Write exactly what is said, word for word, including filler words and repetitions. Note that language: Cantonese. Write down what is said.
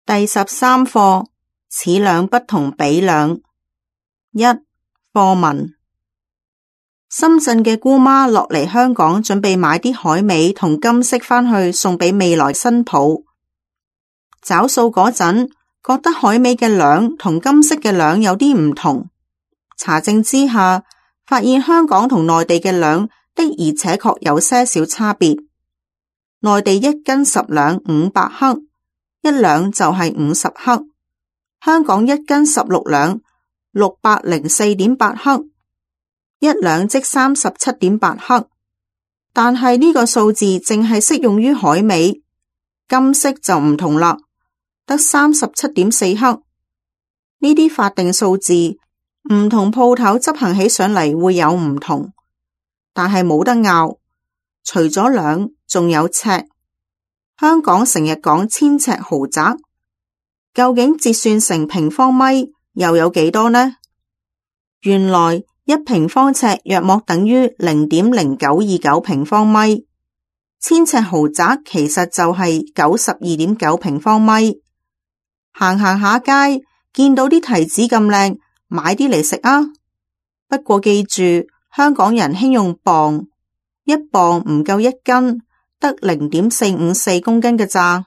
第十三課，此兩不同彼兩。一、課文。深圳嘅姑媽落嚟香港，準備買啲海味同金飾返去送俾未來新抱。找數嗰陣，覺得海味嘅兩同金飾嘅兩有啲唔同。查證之下，發現香港同內地嘅兩的而且確有些少差別。內地一斤十兩五百克，一兩就係五十克；香港一斤十六兩六百零四點八克，一兩即三十七點八克。但係呢個數字淨係適用於海味，金飾就唔同啦，得三十七點四克。呢啲法定數字唔同鋪頭執行起上嚟會有唔同，但係冇得拗。除咗兩，仲有尺。香港成日講千尺豪宅，究竟折算成平方米又有幾多呢？原來一平方尺約莫等於零點零九二九平方米，千尺豪宅其實就係九十二點九平方米。行行下街，見到啲提子咁靚，買啲嚟食啊！不過記住，香港人興用磅，一磅唔夠一斤，得零點四五四公斤嘅咋。